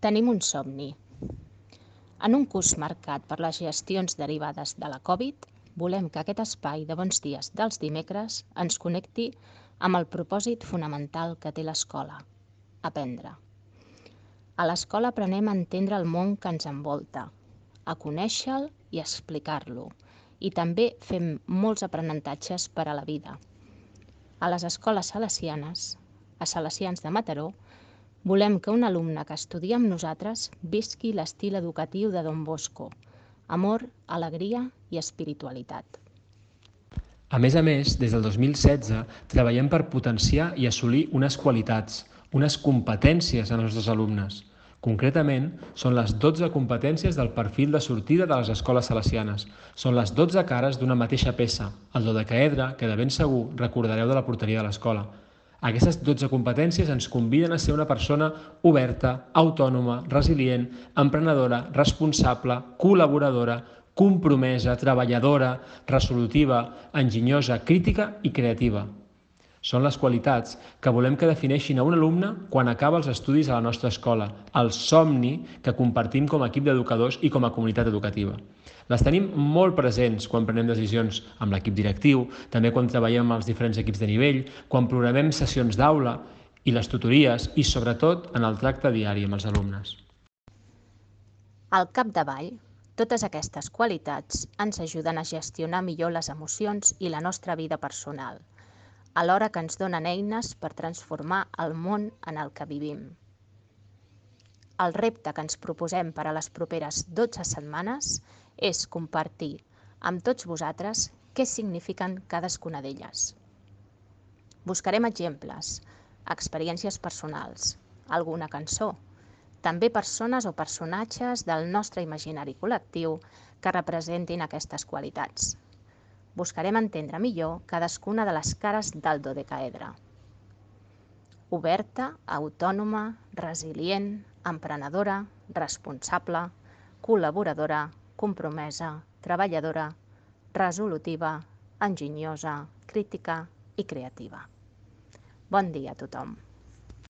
Tenim un somni. En un curs marcat per les gestions derivades de la Covid, volem que aquest espai de bons dies dels dimecres ens connecti amb el propòsit fonamental que té l'escola: aprendre. A l'escola aprenem a entendre el món que ens envolta, a conèixer-lo i explicar-lo, i també fem molts aprenentatges per a la vida. A les escoles salesianes, a Salesians de Mataró, volem que un alumne que estudia amb nosaltres visqui l'estil educatiu de Don Bosco: amor, alegria i espiritualitat. A més, des del 2016 treballem per potenciar i assolir unes qualitats, unes competències en els nostres alumnes. Concretament, són les 12 competències del perfil de sortida de les escoles salesianes. Són les 12 cares d'una mateixa peça, el dodecaedre que de ben segur recordareu de la porteria de l'escola. Aquestes 12 competències ens conviden a ser una persona oberta, autònoma, resilient, emprenedora, responsable, col·laboradora, compromesa, treballadora, resolutiva, enginyosa, crítica i creativa. Són les qualitats que volem que defineixin a un alumne quan acaba els estudis a la nostra escola, el somni que compartim com a equip d'educadors i com a comunitat educativa. Les tenim molt presents quan prenem decisions amb l'equip directiu, també quan treballem amb els diferents equips de nivell, quan programem sessions d'aula i les tutories i, sobretot, en el tracte diari amb els alumnes. Al capdavall, totes aquestes qualitats ens ajuden a gestionar millor les emocions i la nostra vida personal, alhora que ens donen eines per transformar el món en el que vivim. El repte que ens proposem per a les properes 12 setmanes és compartir amb tots vosaltres què signifiquen cadascuna d'elles. Buscarem exemples, experiències personals, alguna cançó, també persones o personatges del nostre imaginari col·lectiu que representin aquestes qualitats. Buscarem entendre millor cadascuna de les cares del dodecaedre: oberta, autònoma, resilient, emprenedora, responsable, col·laboradora, compromesa, treballadora, resolutiva, enginyosa, crítica i creativa. Bon dia a tothom.